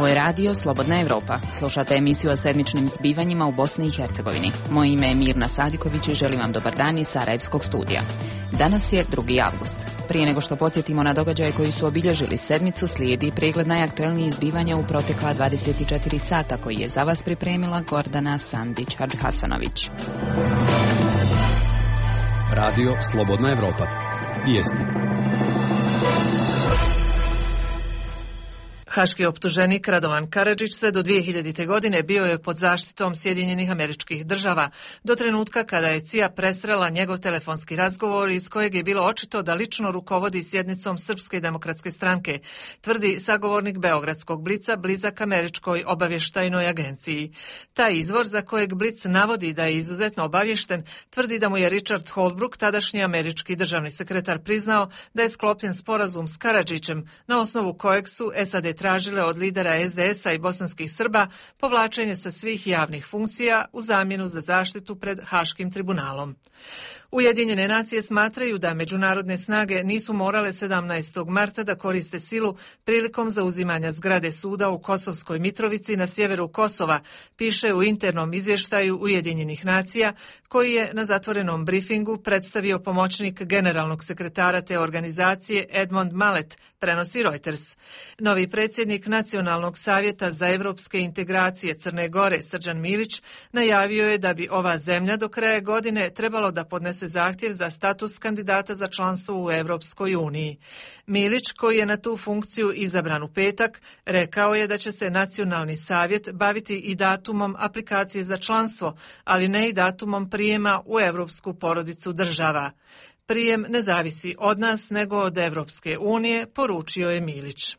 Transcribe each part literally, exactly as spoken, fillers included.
Ovo je radio Slobodna Evropa. Slušate emisiju o sedmičnim zbivanjima u Bosni i Hercegovini. Moje ime je Mirna Sadiković i želim vam dobar dan iz Sarajevskog studija. Danas je drugi avgust. Prije nego što podsjetimo na događaje koji su obilježili sedmicu, slijedi pregled najaktuelnijih zbivanja u protekla dvadeset četiri sata koji je za vas pripremila Gordana Sandić-Hadžhasanović. Radio Slobodna Evropa. Vijesti. Haški optuženik Radovan Karadžić sve do dvije hiljadite. godine bio je pod zaštitom Sjedinjenih Američkih Država, do trenutka kada je C I A presrela njegov telefonski razgovor iz kojeg je bilo očito da lično rukovodi sjednicom Srpske demokratske stranke, tvrdi sagovornik Beogradskog Blica blizak Američkoj obavještajnoj agenciji. Taj izvor, za kojeg Blic navodi da je izuzetno obavješten, tvrdi da mu je Richard Holbrooke, tadašnji američki državni sekretar, priznao da je sklopljen sporazum s Karadžićem, na osnovu kojeg su S A D tražile od lidera S D S-a i bosanskih Srba povlačenje sa svih javnih funkcija u zamjenu za zaštitu pred Haškim tribunalom. Ujedinjene nacije smatraju da međunarodne snage nisu morale sedamnaestog marta da koriste silu prilikom zauzimanja zgrade suda u Kosovskoj Mitrovici na sjeveru Kosova, piše u internom izvještaju Ujedinjenih nacija, koji je na zatvorenom brifingu predstavio pomoćnik generalnog sekretara te organizacije Edmond Malet, prenosi Reuters. Novi predsjednik Nacionalnog savjeta za evropske integracije Crne Gore, Srđan Milić, najavio je da bi ova zemlja do kraja godine trebalo da podnese zahtjev za status kandidata za članstvo u Evropskoj uniji. Milić, koji je na tu funkciju izabran u petak, rekao je da će se Nacionalni savjet baviti i datumom aplikacije za članstvo, ali ne i datumom prijema u evropsku porodicu država. Prijem ne zavisi od nas, nego od Evropske unije, poručio je Milić.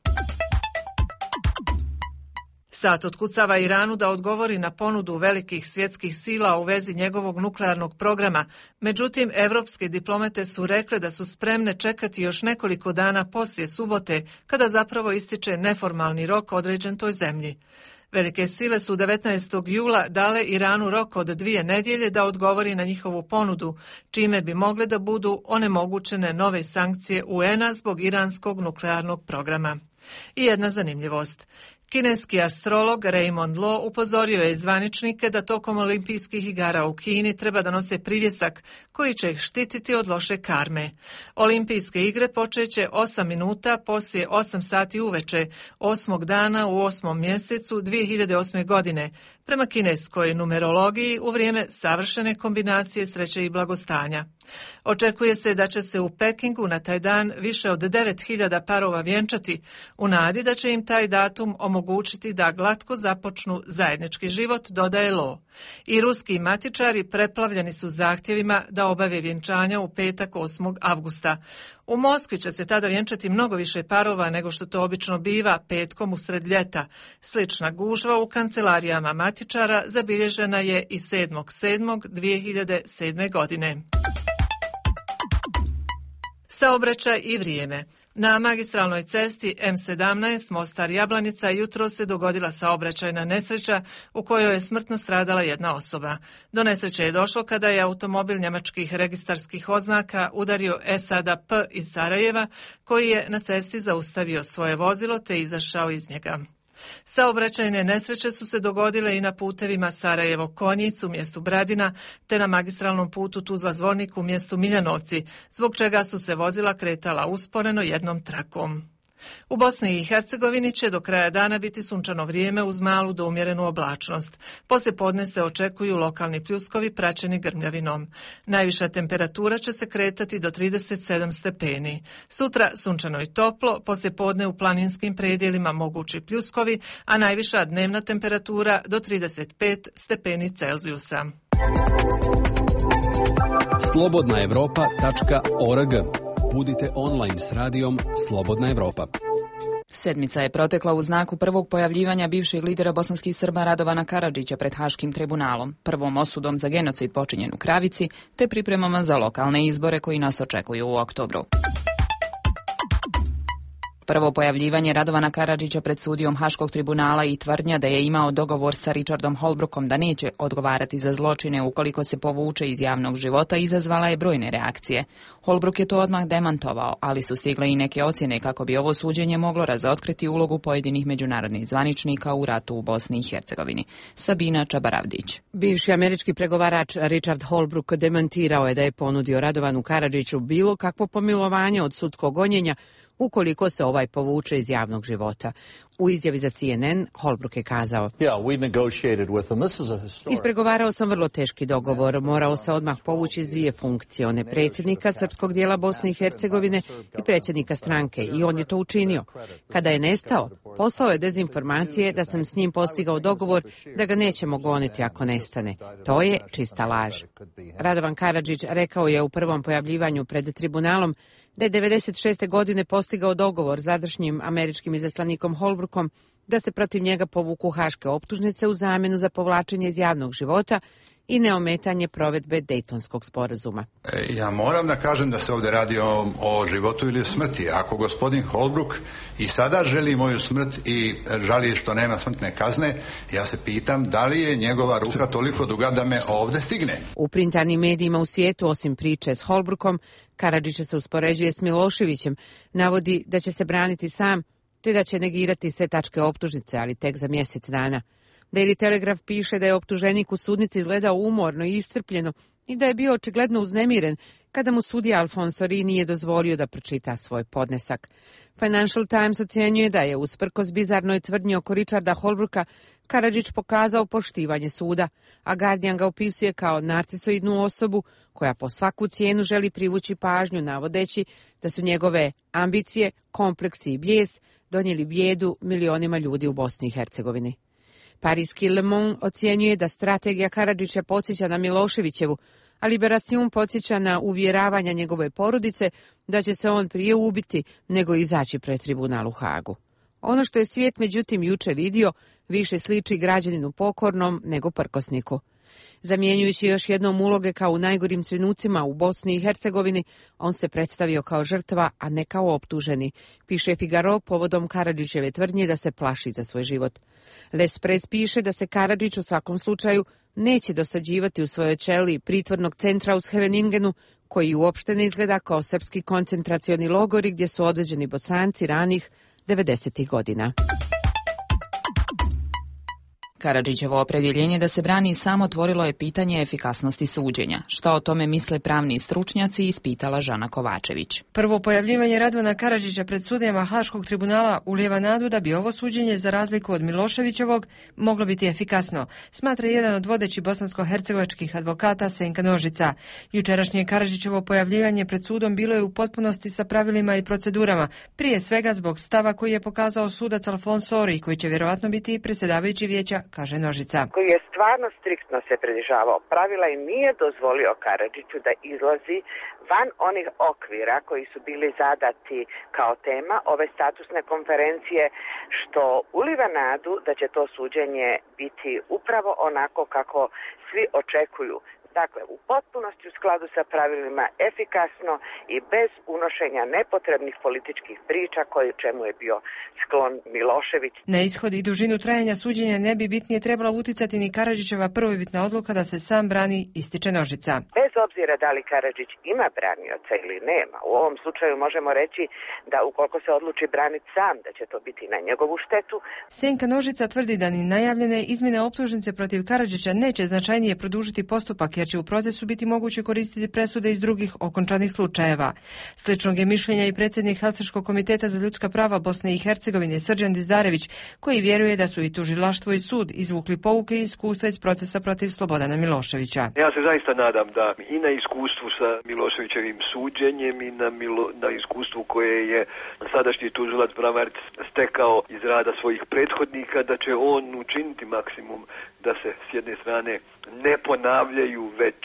SAD otkucava Iranu da odgovori na ponudu velikih svjetskih sila u vezi njegovog nuklearnog programa, međutim, evropske diplomate su rekle da su spremne čekati još nekoliko dana poslije subote, kada zapravo ističe neformalni rok određen toj zemlji. Velike sile su devetnaestog jula dale Iranu rok od dvije nedjelje da odgovori na njihovu ponudu, čime bi mogle da budu onemogućene nove sankcije U N A zbog iranskog nuklearnog programa. I jedna zanimljivost. Kineski astrolog Raymond Lo upozorio je zvaničnike da tokom olimpijskih igara u Kini treba da nose privjesak koji će ih štititi od loše karme. Olimpijske igre počeće osam minuta poslije osam sati uveče, osmog dana u osmom mjesecu dvije hiljade osme. godine, prema kineskoj numerologiji u vrijeme savršene kombinacije sreće i blagostanja. Očekuje se da će se u Pekingu na taj dan više od devet hiljada parova vjenčati, u nadi da će im taj datum omogućiti da glatko započnu zajednički život, dodaje Lo. I ruski matičari preplavljeni su zahtjevima da obave vjenčanja u petak osmog avgusta. U Moskvi će se tada vjenčati mnogo više parova nego što to obično biva petkom usred ljeta. Slična gužva u kancelarijama matičara zabilježena je i sedmog sedmog dvije hiljade sedme. godine. Saobraćaj i vrijeme. Na magistralnoj cesti M sedamnaest Mostar-Jablanica jutro se dogodila saobraćajna nesreća u kojoj je smrtno stradala jedna osoba. Do nesreće je došlo kada je automobil njemačkih registarskih oznaka udario Esada P iz Sarajeva, koji je na cesti zaustavio svoje vozilo te izašao iz njega. Saobraćajne nesreće su se dogodile i na putevima Sarajevo-Konjic u mjestu Bradina, te na magistralnom putu Tuzla-Zvornik u mjestu Miljanovci, zbog čega su se vozila kretala usporeno jednom trakom. U Bosni i Hercegovini će do kraja dana biti sunčano vrijeme uz malu do umjerenu oblačnost. Poslije podne se očekuju lokalni pljuskovi praćeni grmljavinom. Najviša temperatura će se kretati do trideset sedam stepeni. Sutra sunčano i toplo, poslije podne u planinskim predjelima mogući pljuskovi, a najviša dnevna temperatura do trideset pet stepeni Celzijusa. slobodna evropa tačka org. Budite online s radijom Slobodna Evropa. Sedmica je protekla u znaku prvog pojavljivanja bivšeg lidera bosanskih Srba Radovana Karadžića pred Haškim tribunalom, prvom osudom za genocid počinjen u Kravici, te pripremama za lokalne izbore koji nas očekuju u oktobru. Prvo pojavljivanje Radovana Karadžića pred sudijom Haškog tribunala i tvrdnja da je imao dogovor sa Richardom Holbrookom da neće odgovarati za zločine ukoliko se povuče iz javnog života izazvala je brojne reakcije. Holbrook je to odmah demantovao, ali su stigle i neke ocjene kako bi ovo suđenje moglo razotkriti ulogu pojedinih međunarodnih zvaničnika u ratu u Bosni i Hercegovini. Sabina Čabaravdić. Bivši američki pregovarač Richard Holbrooke demantirao je da je ponudio Radovanu Karadžiću bilo kakvo pomilovanje od sudskog gonjenja ukoliko se ovaj povuče iz javnog života. U izjavi za C N N Holbrooke je kazao: Ispregovarao sam vrlo teški dogovor, morao se odmah povući iz dvije funkcije, one predsjednika srpskog dijela Bosne i Hercegovine i predsjednika stranke, i on je to učinio. Kada je nestao, poslao je dezinformacije da sam s njim postigao dogovor da ga nećemo goniti ako nestane. To je čista laž. Radovan Karadžić rekao je u prvom pojavljivanju pred tribunalom da je devedeset šeste godine postigao dogovor s sadašnjim američkim izaslanikom Holbrookom da se protiv njega povuku haške optužnice u zamjenu za povlačenje iz javnog života i neometanje provedbe Dejtonskog sporazuma. Ja moram da kažem da se ovdje radi o, o životu ili smrti. Ako gospodin Holbrook i sada želi moju smrt i žali što nema smrtne kazne, ja se pitam da li je njegova ruka toliko duga da me ovdje stigne. U printanim medijima u svijetu, osim priče s Holbrookom, Karadžića se uspoređuje s Miloševićem, navodi da će se braniti sam, te da će negirati sve tačke optužnice, ali tek za mjesec dana. Daily Telegraph piše da je optuženik u sudnici izgledao umorno i iscrpljeno i da je bio očigledno uznemiren kada mu sudija Alfonso Ri nije dozvolio da pročita svoj podnesak. Financial Times ocjenjuje da je, usprkos bizarnoj tvrdnji oko Richarda Holbrooka, Karadžić pokazao poštivanje suda, a Guardian ga opisuje kao narcisoidnu osobu koja po svaku cijenu želi privući pažnju, navodeći da su njegove ambicije, kompleksi i bijes donijeli bijedu milionima ljudi u Bosni i Hercegovini. Parijski Le Monde ocjenjuje da strategija Karadžića podsjeća na Miloševićevu, a Liberation podsjeća na uvjeravanja njegove porodice da će se on prije ubiti nego izaći pred tribunal u Hagu. Ono što je svijet međutim juče vidio više sliči građaninu pokornom nego prkosniku. Zamjenjujući još jednom uloge kao u najgorim trenucima u Bosni i Hercegovini, on se predstavio kao žrtva, a ne kao optuženi, piše Figaro povodom Karadžićeve tvrdnje da se plaši za svoj život. L'Express piše da se Karadžić u svakom slučaju neće dosađivati u svojoj ćeliji pritvornog centra u Scheveningenu, koji uopšte ne izgleda kao srpski koncentracioni logori gdje su odveđeni Bosanci ranih devedesetih godina. Karadžićevo opredjeljenje da se brani sam otvorilo je pitanje efikasnosti suđenja. Šta o tome misle pravni stručnjaci, ispitala Žana Kovačević. Prvo pojavljivanje Radovana Karadžića pred sudijama Haškog tribunala ulijeva nadu da bi ovo suđenje, za razliku od Miloševićevog, moglo biti efikasno, smatra jedan od vodećih bosansko-hercegovačkih advokata Senka Nožica. Jučerašnje Karadžićevo pojavljivanje pred sudom bilo je u potpunosti sa pravilima i procedurama, prije svega zbog stava koji je pokazao sudac Alfonso Ri, koji će vjerovatno biti predsjedavajući vijeća, kaže Nožica. Koji je stvarno striktno se pridržavao pravila i nije dozvolio Karadžiću da izlazi van onih okvira koji su bili zadati kao tema ove statusne konferencije, što uliva nadu da će to suđenje biti upravo onako kako svi očekuju. Dakle, u potpunosti u skladu sa pravilima, efikasno i bez unošenja nepotrebnih političkih priča koji čemu je bio sklon Milošević. Na ishod i dužinu trajanja suđenja ne bi bitnije trebala uticati ni Karadžićeva prvobitna odluka da se sam brani, ističe Nožica. Bez obzira da li Karadžić ima branioca ili nema, u ovom slučaju možemo reći da ukoliko se odluči braniti sam, da će to biti na njegovu štetu. Senka Nožica tvrdi da ni najavljene izmjene optužnice protiv Karadžića neće značajnije produžiti postupak, jer će u procesu biti moguće koristiti presude iz drugih okončanih slučajeva. Sličnog je mišljenja i predsjednik Helsinškog komiteta za ljudska prava Bosne i Hercegovine Srđan Dizdarević, koji vjeruje da su i tužilaštvo i sud izvukli pouke i iskustva iz procesa protiv Slobodana Miloševića. Ja se zaista nadam da i na iskustvu sa Miloševićevim suđenjem i na, Milo, na iskustvu koje je sadašnji tužilac Bramarić stekao iz rada svojih prethodnika, da će on učiniti maksimum da se s jedne strane ne ponavljaju već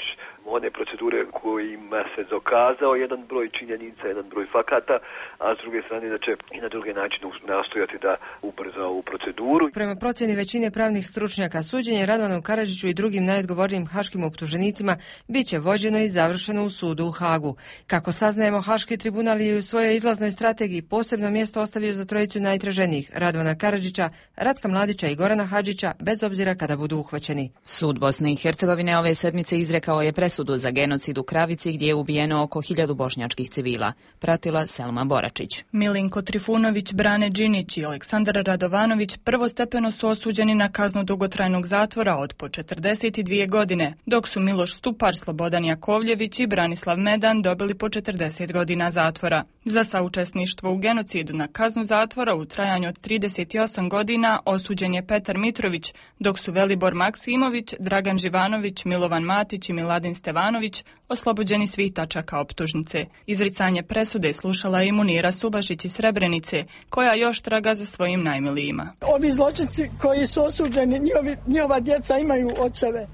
one procedure kojima se dokazao jedan broj činjenica, jedan broj fakata, a s druge strane da će i na druge načine nastojati da ubrza ovu proceduru. Prema procjeni većine pravnih stručnjaka, suđenje Radovanu Karadžiću i drugim najodgovornijim haškim optuženicima bit će vođeno i završeno u sudu u Hagu. Kako saznajemo, Haški tribunal je u svojoj izlaznoj strategiji posebno mjesto ostavio za trojicu najtraženijih, Radovana Karadžića, Ratka Mladića i Gorana Hadžića, bez obzira kada budu uhvaćeni. Sud Bosne i Hercegovine ove sedmice izrekao je presudu za genocid u Kravici gdje je ubijeno oko hiljadu bošnjačkih civila. Pratila Selma Boračić. Milinko Trifunović, Brane Đinić i Aleksandar Radovanović prvostepeno su osuđeni na kaznu dugotrajnog zatvora od po četrdeset dvije godine, dok su Miloš Stupar, Slobodan Jakovljević i Branislav Medan dobili po četrdeset godina zatvora. Za saučesništvo u genocidu na kaznu zatvora u trajanju od trideset osam godina osuđen je Petar Mitrović, dok su Velibor Maksimović, Dragan Živanović, Milovan Matić i Miladin Stevanović oslobođeni svih tačaka optužnice. Izricanje presude slušala je i Munira Subašić iz Srebrenice, koja još traga za svojim najmilijima. Ovi zločinci koji su osuđeni, njihovi, njihova djeca imaju očeve,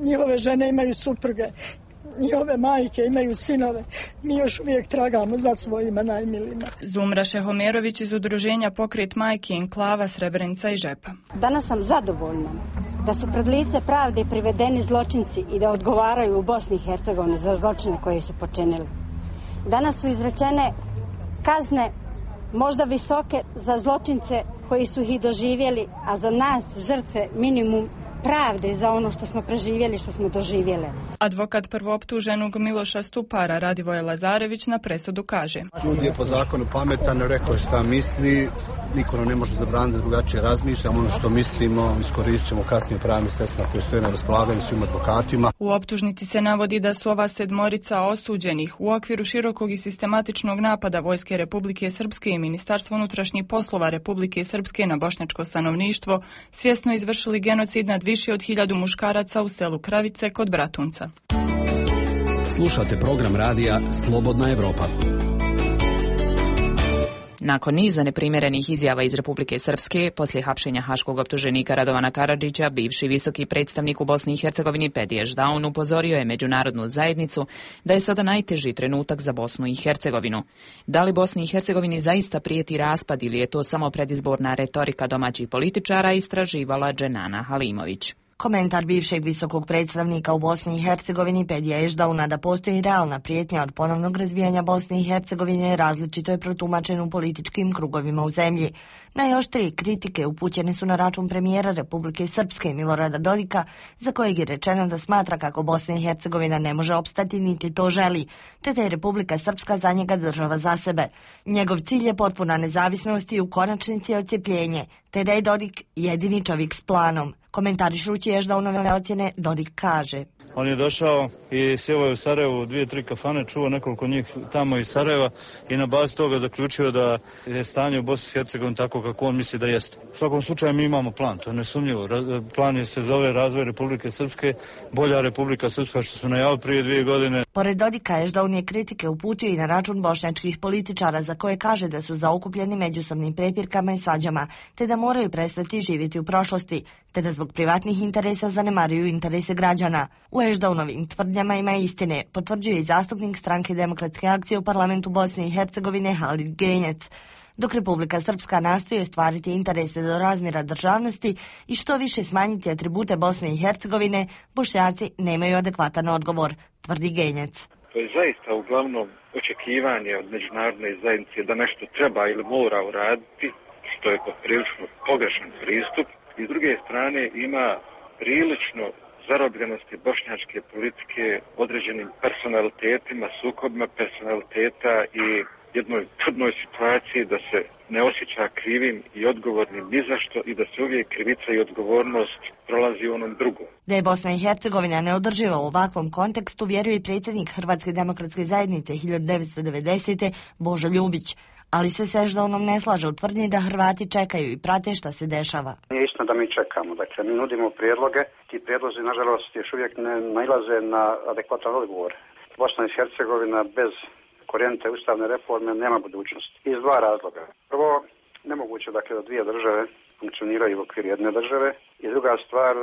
njihove žene imaju supruge, njihove majke imaju sinove. Mi još uvijek tragamo za svojima najmilijima. Zumra Šehomerović iz udruženja Pokret majki Enklava Srebrenica i Žepa. Danas sam zadovoljna da su pred lice pravde privedeni zločinci i da odgovaraju u Bosni i Hercegovini za zločine koje su počinili. Danas su izrečene kazne možda visoke za zločince koji su ih doživjeli, a za nas žrtve minimum pravde za ono što smo preživjeli, što smo doživjeli. Advokat prvooptuženog Miloša Stupara Radivoje Lazarević na presudu kaže: Sud je po zakonu pametan, rekao je šta misli, niko ne može zabraniti da drugačije razmišljamo, ono što mislimo iskoristit ćemo kasnije pravnim sredstvima koje stoje na raspolaganju svim advokatima. U optužnici se navodi da su ova sedmorica osuđenih u okviru širokog i sistematičnog napada Vojske Republike Srpske i Ministarstva unutrašnjih poslova Republike Srpske na bošnjačko stanovništvo svjesno izvršili genocid nad više od hiljadu muškaraca u selu Kravice kod Bratunca. Slušate program radija Slobodna Evropa. Nakon niza neprimjerenih izjava iz Republike Srpske, poslije hapšenja haškog optuženika Radovana Karadžića, bivši visoki predstavnik u Bosni i Hercegovini Pedije Ždaun upozorio je međunarodnu zajednicu da je sada najteži trenutak za Bosnu i Hercegovinu. Da li Bosni i Hercegovini zaista prijeti raspad ili je to samo predizborna retorika domaćih političara, istraživala Dženana Halimović. Komentar bivšeg visokog predstavnika u Bosni i Hercegovini Pedija Ždauna da postoji realna prijetnja od ponovnog razbijanja Bosne i Hercegovine različito je protumačen u političkim krugovima u zemlji. Najoštrije kritike upućene su na račun premijera Republike Srpske Milorada Dodika, za kojeg je rečeno da smatra kako Bosna i Hercegovina ne može opstati niti to želi, te da je Republika Srpska za njega država za sebe. Njegov cilj je potpuna nezavisnost i u konačnici odcjepljenje, te da je Dodik jedini čovjek s planom. Komentarišući Ždaunove ocjene, Dodik kaže: On je došao i sjeo je u Sarajevu u dvije, tri kafane, čuo nekoliko njih tamo iz Sarajeva i na bazi toga zaključio da je stanje u Bosni i Hercegovini tako kako on misli da jeste. U svakom slučaju mi imamo plan, to je nesumnjivo. Plan je se zove razvoj Republike Srpske, bolja Republika Srpska što su najavili prije dvije godine. Pored Dodika, Ždaun je kritike uputio i na račun bošnjačkih političara za koje kaže da su zaokupljeni međusobnim prepirkama i svađama, te da moraju prestati živjeti u prošlosti, te da zbog privatnih interesa zanemaruju interese građana. U Ždaunovim tvrdnjama ima istine, potvrđuje i zastupnik Stranke demokratske akcije u parlamentu Bosne i Hercegovine Halid Genjec. Dok Republika Srpska nastoji ostvariti interese do razmjera državnosti i što više smanjiti atribute Bosne i Hercegovine, Bošnjaci nemaju adekvatan odgovor, tvrdi Genjec. To je zaista uglavnom očekivanje od međunarodne zajednice da nešto treba ili mora uraditi, što je poprilično pogrešan pristup. I s druge strane ima prilično zarobljenosti bošnjačke politike određenim personalitetima, sukobima personaliteta i jednoj čudnoj situaciji da se ne osjeća krivim i odgovornim ni za što i da se uvijek krivica i odgovornost prolazi u onom drugom. Da je Bosna i Hercegovina neodrživa u ovakvom kontekstu vjeruje i predsjednik Hrvatske demokratske zajednice hiljadu devetsto devedesete. Božo Ljubić. Ali se s Ždaunom ne slaže u tvrdnji da Hrvati čekaju i prate šta se dešava. Nije istina da mi čekamo, dakle mi nudimo prijedloge, ti prijedlozi nažalost još uvijek ne nailaze na adekvatan odgovor. Bosna i Hercegovina bez korijenite ustavne reforme nema budućnosti. Iz dva razloga. Prvo, nemoguće dakle da dvije države funkcioniraju u okviru jedne države. I druga stvar,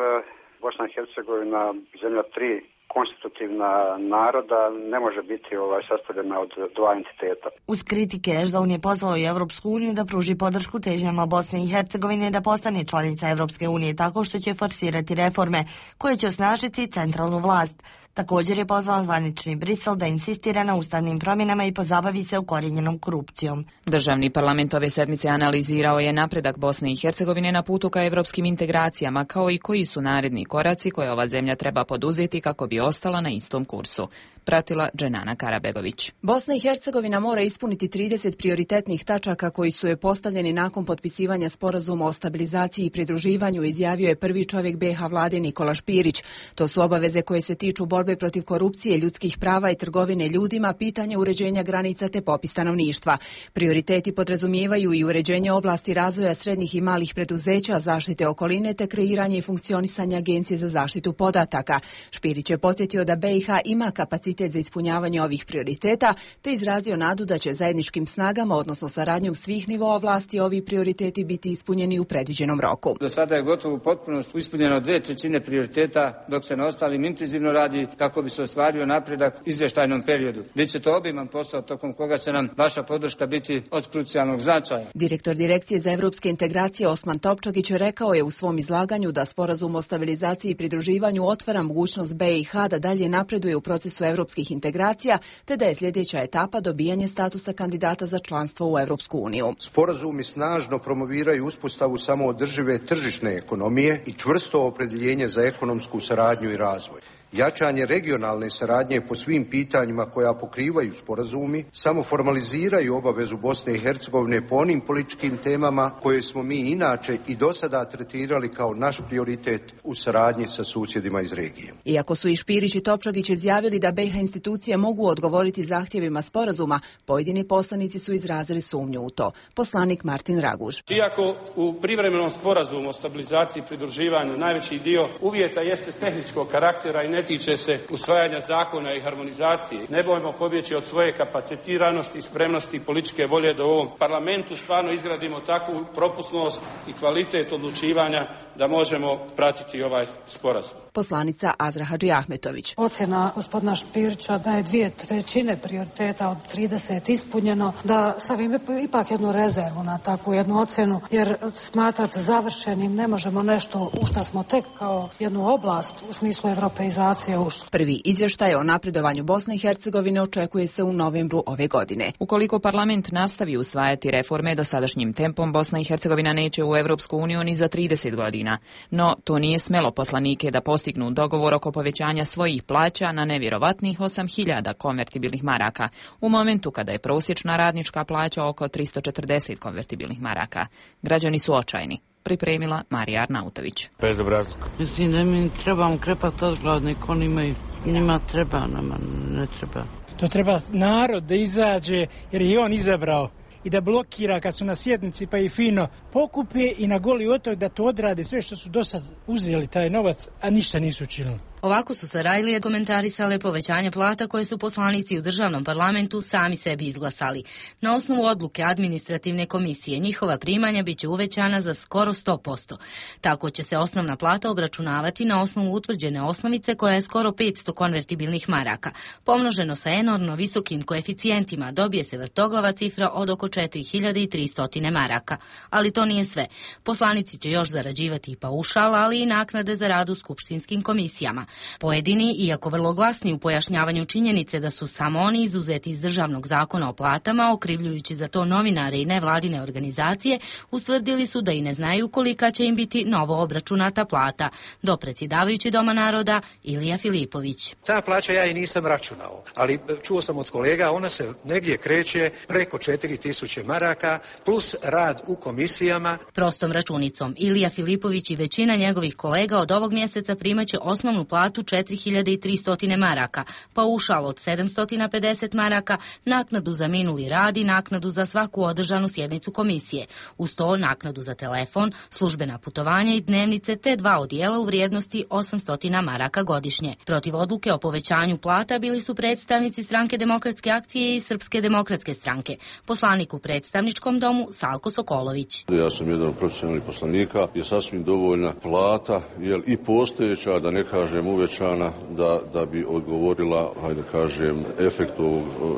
Bosna i Hercegovina, zemlja tri konstitutivna naroda, ne može biti ovaj, sastavljena od dva entiteta. Uz kritike Ešdaun je pozvao i Evropsku uniju da pruži podršku težnjama Bosne i Hercegovine da postane članica Evropske unije tako što će forsirati reforme koje će osnažiti centralnu vlast. Također je pozvao zvanični Brisel da insistira na ustavnim promjenama i pozabavi se ukorijenjenom korupcijom. Državni parlament ove sedmice analizirao je napredak Bosne i Hercegovine na putu ka evropskim integracijama, kao i koji su naredni koraci koje ova zemlja treba poduzeti kako bi ostala na istom kursu. Pratila Dženana Karabegović. Bosna i Hercegovina mora ispuniti trideset prioritetnih tačaka koji su je postavljeni nakon potpisivanja sporazuma o stabilizaciji i pridruživanju, izjavio je prvi čovjek be ha vlade Nikola Špirić. To su obaveze koje se tiču borbe protiv korupcije, ljudskih prava i trgovine ljudima, pitanje uređenja granica te popis stanovništva. Prioriteti podrazumijevaju i uređenje oblasti razvoja srednjih i malih preduzeća, zaštite okoline te kreiranje i funkcionisanje Agencije za zaštitu podataka. Špirić je podsjetio da be i ha ima kapacitet za ispunjavanje ovih prioriteta, te izrazio nadu da će zajedničkim snagama, odnosno saradnjom svih nivoa vlasti, ovi prioriteti biti ispunjeni u predviđenom roku. Do sada je gotovo u potpunosti ispunjeno dve trećine prioriteta, dok se na ostalim intenzivno radi kako bi se ostvario napredak u izvještajnom periodu. Biće to obiman posao tokom koga će nam vaša podrška biti od krucijalnog značaja. Direktor Direkcije za evropske integracije Osman Topčagić rekao je u svom izlaganju da sporazum o stabilizaciji i pridruživanju otvara mogućnost be i ha da dalje napreduje u procesu evropskih integracija, te da je sljedeća etapa dobijanje statusa kandidata za članstvo u Evropsku uniju. Sporazumi snažno promoviraju uspostavu samoodržive tržišne ekonomije i čvrsto opredjeljenje za ekonomsku saradnju i razvoj. Jačanje regionalne saradnje po svim pitanjima koja pokrivaju sporazumi samo formaliziraju obavezu Bosne i Hercegovine po onim političkim temama koje smo mi inače i do sada tretirali kao naš prioritet u saradnji sa susjedima iz regije. Iako su i Špirić i Topčagić izjavili da be i ha institucije mogu odgovoriti zahtjevima sporazuma, pojedini poslanici su izrazili sumnju u to. Poslanik Martin Raguž. Iako u privremenom sporazumu o stabilizaciji i pridruživanju najveći dio uvjeta jeste tehničkog karaktera i ne tiče se usvajanja zakona i harmonizacije, ne bojmo pobjeći od svoje kapacitiranosti, spremnosti i političke volje da u ovom parlamentu stvarno izgradimo takvu propusnost i kvalitet odlučivanja da možemo pratiti ovaj sporazum. Poslanica Azra Hadži Ahmetović. Ocjena gospodina Špirića da je dvije trećine prioriteta od trideset ispunjeno, da stavim ipak jednu rezervu na takvu jednu ocjenu, jer smatrati završenim ne možemo nešto u što smo tek kao jednu oblast u smislu europeizacije ušli. Prvi izvještaj o napredovanju Bosne i Hercegovine očekuje se u novembru ove godine. Ukoliko parlament nastavi usvajati reforme dosadašnjim tempom, Bosna i Hercegovina neće u Evropsku uniju ni za trideset godina. No, to nije smelo poslanike da postignu dogovor oko povećanja svojih plaća na nevjerovatnih osam hiljada konvertibilnih maraka, u momentu kada je prosječna radnička plaća oko tristo četrdeset konvertibilnih maraka. Građani su očajni. Pripremila Marija Arnautović. Bezobrazluk. Mislim da mi trebamo krepati od gladne, oni imaju, njima treba, nama ne treba. To treba narod da izađe, jer je on izabrao, i da blokira kad su na sjednici pa i fino pokupe i na goli otok da to odrade sve što su do sad uzeli taj novac, a ništa nisu učinili. Ovako su Sarajlije komentarisale povećanje plata koje su poslanici u državnom parlamentu sami sebi izglasali. Na osnovu odluke administrativne komisije njihova primanja biće uvećana za skoro sto posto. Tako će se osnovna plata obračunavati na osnovu utvrđene osnovice koja je skoro petsto konvertibilnih maraka. Pomnoženo sa enormno visokim koeficijentima dobije se vrtoglava cifra od oko četiri hiljade tristo maraka. Ali to nije sve. Poslanici će još zarađivati i paušal, ali i naknade za rad u skupštinskim komisijama. Pojedini, iako vrlo glasni u pojašnjavanju činjenice da su samo oni izuzeti iz državnog zakona o platama, okrivljujući za to novinare i nevladine organizacije, ustvrdili su da i ne znaju kolika će im biti novo obračunata plata. Do predsjedavajući Doma naroda Ilija Filipović. Ta plaća ja i nisam računao, ali čuo sam od kolega, ona se negdje kreće preko četiri tisuće maraka plus rad u komisijama. Prostom računicom Ilija Filipović i većina njegovih kolega od ovog mjeseca primaće osnovnu platu platu četiri hiljade tristo maraka, paušal od sedamsto pedeset maraka, naknadu za minuli rad i naknadu za svaku održanu sjednicu komisije. Uz to naknadu za telefon, službena putovanja i dnevnice te dva odijela u vrijednosti osamsto maraka godišnje. Protiv odluke o povećanju plata bili su predstavnici Stranke demokratske akcije i Srpske demokratske stranke. Poslanik u predstavničkom domu Salko Sokolović. Ja sam jedan od profesionalnih poslanika, je sasvim dovoljna plata, jel i postojeća, da ne kažem uvećana, da, da bi odgovorila, hajde kažem, efektu,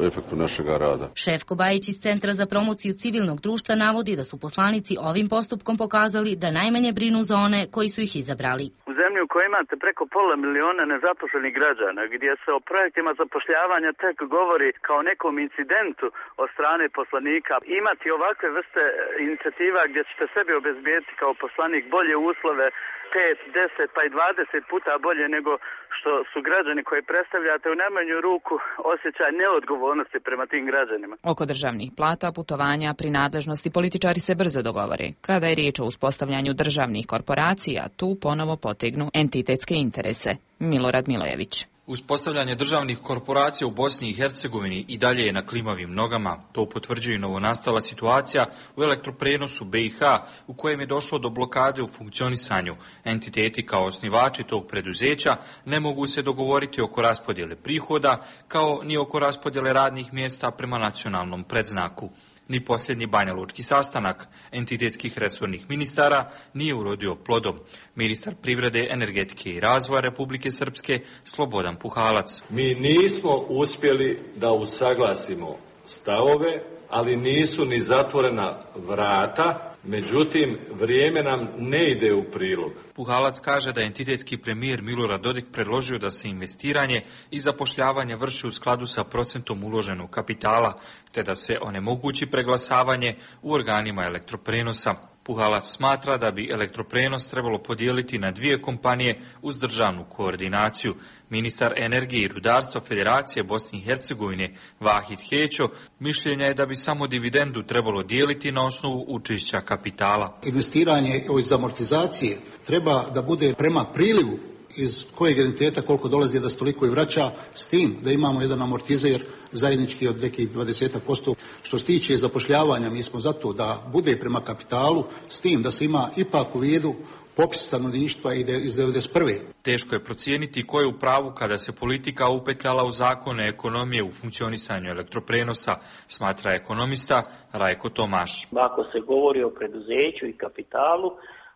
efektu našega rada. Šefko Bajić iz Centra za promociju civilnog društva navodi da su poslanici ovim postupkom pokazali da najmanje brinu za one koji su ih izabrali. U zemlji u kojoj imate preko pola miliona nezaposlenih građana, gdje se o projektima zapošljavanja tek govori kao nekom incidentu od strane poslanika, imati ovakve vrste inicijativa gdje ćete sebi obezbijeti kao poslanik bolje uslove, pet, deset pa i dvadeset puta bolje nego što su građani koji predstavljate, u najmanju ruku osjećaj neodgovornosti prema tim građanima. Oko državnih plata, putovanja, prinadležnosti političari se brzo dogovore. Kada je riječ o uspostavljanju državnih korporacija, tu ponovo potegnu entitetske interese. Milorad Milojević. Uspostavljanje državnih korporacija u Bosni i Hercegovini i dalje je na klimavim nogama. To potvrđuje novonastala situacija u elektroprenosu B i H u kojem je došlo do blokade u funkcionisanju. Entiteti kao osnivači tog preduzeća ne mogu se dogovoriti oko raspodjele prihoda kao ni oko raspodjele radnih mjesta prema nacionalnom predznaku. Ni posljednji banjalučki sastanak entitetskih resornih ministara nije urodio plodom. Ministar privrede, energetike i razvoja Republike Srpske Slobodan Puhalac. Mi nismo uspjeli da usaglasimo stavove, ali nisu ni zatvorena vrata. Međutim, vrijeme nam ne ide u prilog. Puhalac kaže da je entitetski premijer Milorad Dodik predložio da se investiranje i zapošljavanje vrši u skladu sa procentom uloženog kapitala, te da se onemogući preglasavanje u organima elektroprenosa. Puhalac smatra da bi elektroprenos trebalo podijeliti na dvije kompanije uz državnu koordinaciju. Ministar energije i rudarstva Federacije Bosne i Hercegovine Vahid Hećo mišljenja je da bi samo dividendu trebalo dijeliti na osnovu učešća kapitala. Investiranje iz amortizacije treba da bude prema prilivu iz kojeg entiteta koliko dolazi da se toliko i vraća, s tim da imamo jedan amortizer zajednički od nekih dvadeset posto. Što se tiče zapošljavanja, mi smo zato da bude prema kapitalu, s tim da se ima ipak u vidu popis stanovništva iz devedeset prve. Teško je procijeniti ko je u pravu kada se politika upetljala u zakone ekonomije u funkcionisanju elektroprenosa, smatra ekonomista Rajko Tomaš. Ako se govori o preduzeću i kapitalu,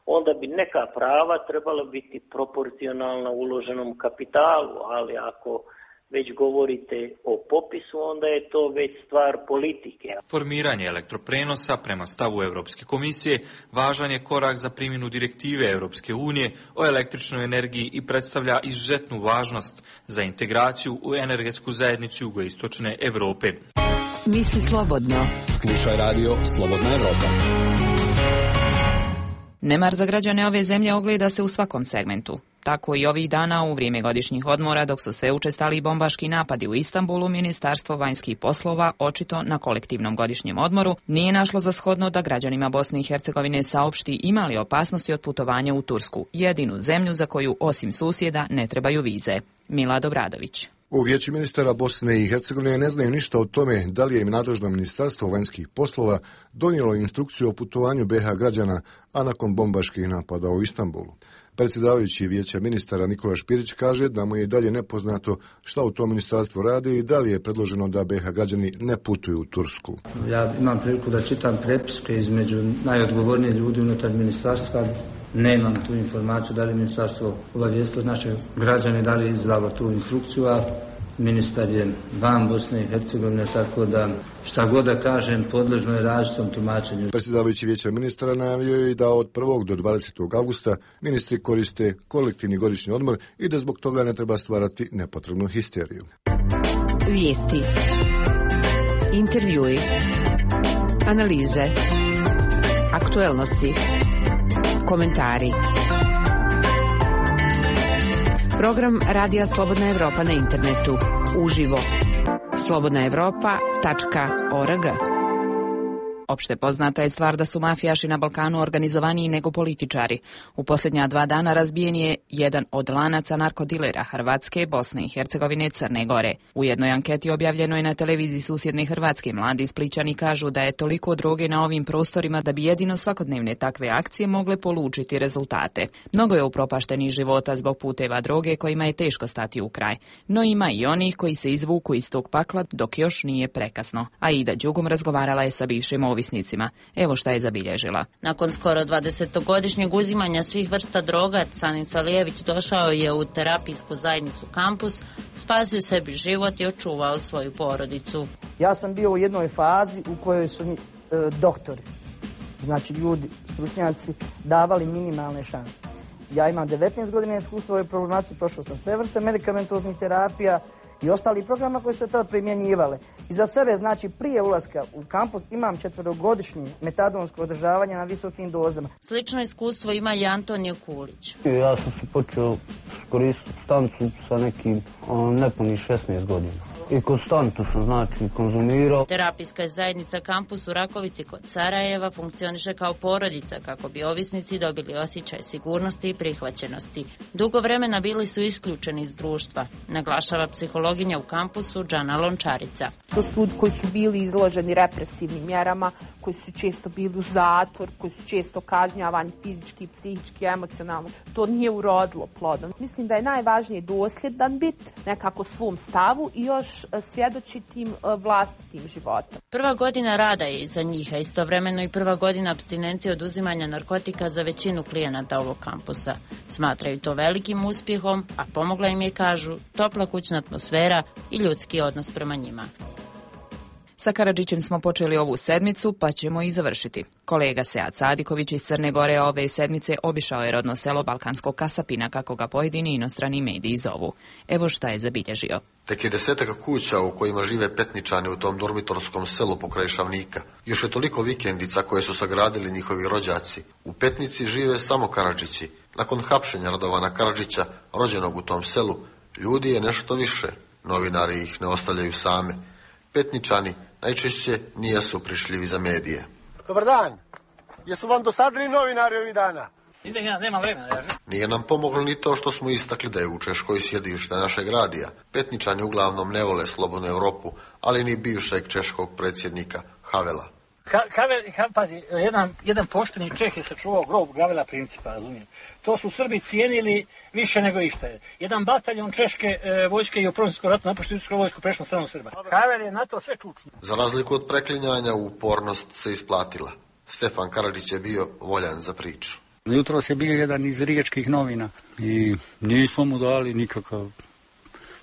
onda bi neka prava trebala biti proporcionalna uloženom kapitalu, ali ako već govorite o popisu, onda je to već stvar politike. Formiranje elektroprenosa prema stavu Europske komisije važan je korak za primjenu direktive Europske unije o električnoj energiji i predstavlja izuzetnu važnost za integraciju u energetsku zajednicu jugoistočne Europe. Misli slobodno. Slušaj radio Slobodna Evropa. Nemar za građane ove zemlje ogleda se u svakom segmentu. Tako i ovih dana u vrijeme godišnjih odmora, dok su sve učestali bombaški napadi u Istanbulu, Ministarstvo vanjskih poslova, očito na kolektivnom godišnjem odmoru, nije našlo za shodno da građanima Bosne i Hercegovine saopšti imali opasnosti od putovanja u Tursku, jedinu zemlju za koju osim susjeda ne trebaju vize. Milad Obradović. U Vijeću ministara Bosne i Hercegovine ne znaju ništa o tome da li je im nadležno Ministarstvo vanjskih poslova donijelo instrukciju o putovanju B iH građana, a nakon bombaških napada u Istanbulu. Predsjedavajući Vijeća ministara Nikola Špirić kaže da mu je i dalje nepoznato šta u tom ministarstvu radi i da li je predloženo da B iH građani ne putuju u Tursku. Ja imam priliku da čitam prepiske između najodgovornijih ljudi unutar ministarstva. Nemam tu informaciju da li ministarstvo obavijestilo naše građane, da li je izdalo tu instrukciju, a ministar je van Bosne i Hercegovine, tako da šta god da kažem podležno je različitom tumačenju. Predsjedavajući Vijeća ministara najavio je da od prvog do dvadesetog avgusta ministri koriste kolektivni godišnji odmor i da zbog toga ne treba stvarati nepotrebnu histeriju. Vijesti, intervjui, analize, aktuelnosti, komentari. Program Radija Slobodna Evropa na internetu. Uživo. slobodna evropa tačka org. Opšte poznata je stvar da su mafijaši na Balkanu organizovaniji nego političari. U posljednja dva dana razbijen je jedan od lanaca narkodilera Hrvatske, Bosne i Hercegovine i Crne Gore. U jednoj anketi objavljeno je na televiziji susjedne Hrvatske mladi Splićani kažu da je toliko droge na ovim prostorima da bi jedino svakodnevne takve akcije mogle polučiti rezultate. Mnogo je upropaštenih života zbog puteva droge kojima je teško stati u kraj. No ima i onih koji se izvuku iz tog pakla dok još nije prekasno. Aida Đugum razgovarala je sa bivšim ovisnicima. Evo šta je zabilježila. Nakon skoro dvadesetogodišnjeg uzimanja svih vrsta droga, Canin Salijević došao je u terapijsku zajednicu Kampus, spasio sebi život i očuvao svoju porodicu. Ja sam bio u jednoj fazi u kojoj su mi e, doktori, znači ljudi, stručnjaci, davali minimalne šanse. Ja imam devetnaest godina iskustva u ovoj problematici, prošao sam sve vrste medikamentoznih terapija i ostali programa koji su se tada primjenjivale. I za sebe, znači prije ulaska u kampus, imam četverogodišnje metadonsko održavanje na visokim dozama. Slično iskustvo ima i Antonio Kulić. Ja sam se počeo koristiti supstancu sa nekim nepunih šesnaest godina. I konstantno sam, znači, konzumirao. Terapijska zajednica Kampus u Rakovici kod Sarajeva funkcioniše kao porodica kako bi ovisnici dobili osjećaj sigurnosti i prihvaćenosti. Dugo vremena bili su isključeni iz društva, naglašava psihologinja u Kampusu Džana Lončarica. To su ljudi koji su bili izloženi represivnim mjerama, koji su često bili u zatvor, koji su često kažnjavani fizički, psihički, emocionalno. To nije urodilo plodom. Mislim da je najvažnije dosljedan bit, nekako svom stavu i još svjedočitim vlastitim životom. Prva godina rada je iza njih, a istovremeno i prva godina apstinencije od uzimanja narkotika za većinu klijenata ovog kampusa. Smatraju to velikim uspjehom, a pomogla im je, kažu, topla kućna atmosfera i ljudski odnos prema njima. Sa Karadžićem smo počeli ovu sedmicu, pa ćemo i završiti. Kolega Sead Sadiković iz Crne Gore ove sedmice obišao je rodno selo Balkanskog Kasapina, kako ga pojedini inostrani mediji zovu. Evo šta je zabilježio. Tek je desetak kuća u kojima žive Petničani u tom dormitorskom selu pokraj Šavnika. Još je toliko vikendica koje su sagradili njihovi rođaci. U Petnici žive samo Karadžići. Nakon hapšenja Radovana Karadžića, rođenog u tom selu, ljudi je nešto više. Novinari ih ne ostavljaju same. Petničani najčešće nijesu prišljivi za medije. Dobar dan. Jesu vam dosadili novinari ovih dana? Idem ja, nema vremena. Ja. Nije nam pomoglo ni to što smo istakli da je u Češkoj sjedište našeg radija. Petničani uglavnom ne vole slobodnu Europu, ali ni bivšeg češkog predsjednika Havela. Ha, Havel, ha, pazi, jedan, jedan pošteni Čeh je sačuvao grob Gavela Principa, razumijem. To su Srbi cijenili više nego išta je. Jedan bataljon češke e, vojske i u Prvom svjetskom ratu napuštio Srpsku vojsku prešlo na stranu Srba. Havel je na to sve čučno. Za razliku od preklinjanja, upornost se isplatila. Stefan Karadžić je bio voljan za priču. Jutros je bio jedan iz riječkih novina i nismo mu dali nikakav...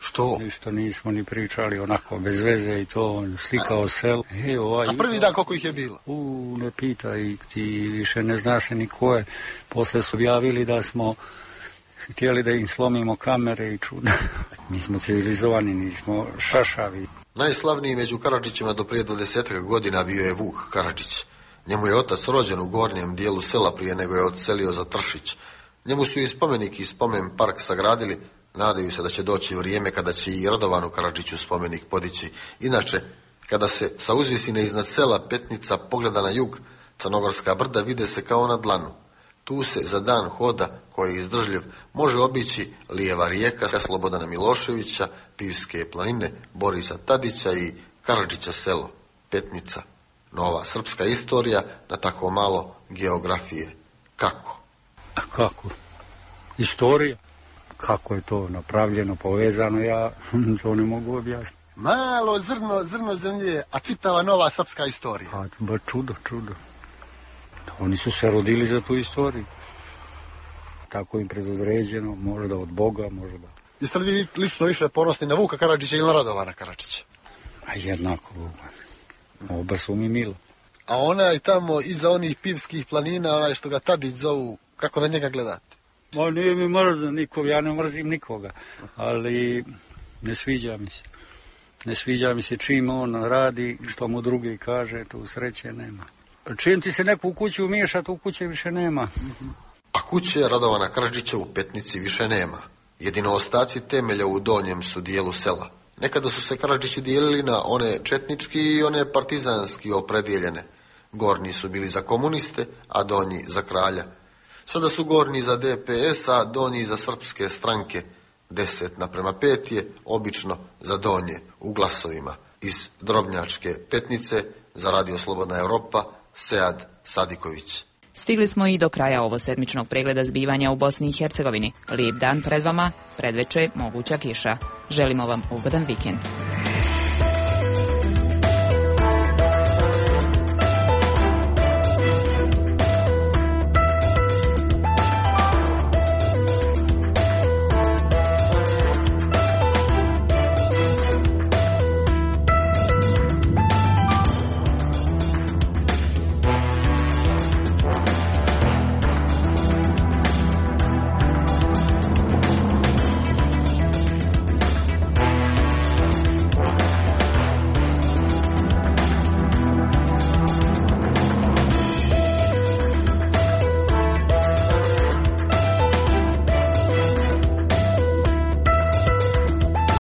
Što? Ništa nismo ni pričali, onako bez veze i to, slikao sel. E, ovaj, a prvi dan koliko ih je bilo? U, ne pitaj, ti više ne zna se ni ko je. Posle su javili da smo htjeli da im slomimo kamere i čuda. Mi smo civilizovani, nismo šašavi. Najslavniji među Karadžićima do prije dvadesetak godina bio je Vuk Karadžić. Njemu je otac rođen u gornjem dijelu sela prije nego je odselio za Tršić. Njemu su i spomenik i spomen park sagradili. Nadaju se da će doći vrijeme kada će i Radovanu Karadžiću spomenik podići. Inače, kada se sa uzvisine iznad sela Petnica pogleda na jug, Crnogorska brda vide se kao na dlanu. Tu se za dan hoda, koji je izdržljiv, može obići lijeva rijeka Slobodana Miloševića, Pivske planine, Borisa Tadića i Karadžića selo, Petnica. Nova srpska istorija na tako malo geografije. Kako? A kako? Istorija? Kako je to napravljeno, povezano, ja to ne mogu objasniti. Malo zrno, zrno zemlje, a čitava nova srpska istorija. A, ba čudo, čudo. Oni su se rodili za tu istoriju. Tako im predodređeno, možda od Boga, možda. Jeste li vi lično više ponosni na Vuka Karadžića ili na Radovana Karadžića? A jednako, oba su mi milo. A onaj tamo iza onih Pivskih planina, onaj što ga Tadić zovu, kako na njega gledate? Ma nije mi mrzan nikog, ja ne mrzim nikoga, ali ne sviđa mi se. Ne sviđa mi se čim on radi, što mu drugi kaže, tu sreće nema. Čim ti se neko u kući umiješa, tu kuće više nema. A kuće Radovana Karadžića u Petnici više nema. Jedino ostaci temelja u donjem su dijelu sela. Nekada su se Karadžići dijelili na one četnički i one partizanski opredijeljene. Gornji su bili za komuniste, a donji za kralja. Sada su gornji za D P S, a donji za srpske stranke. Deset naprema pet je obično za donje u glasovima. Iz Drobnjačke Petnice za Radio Slobodna Evropa, Sead Sadiković. Stigli smo i do kraja ovo sedmičnog pregleda zbivanja u Bosni i Hercegovini. Lijep dan pred vama, predveče moguća kiša. Želimo vam ugodan vikend.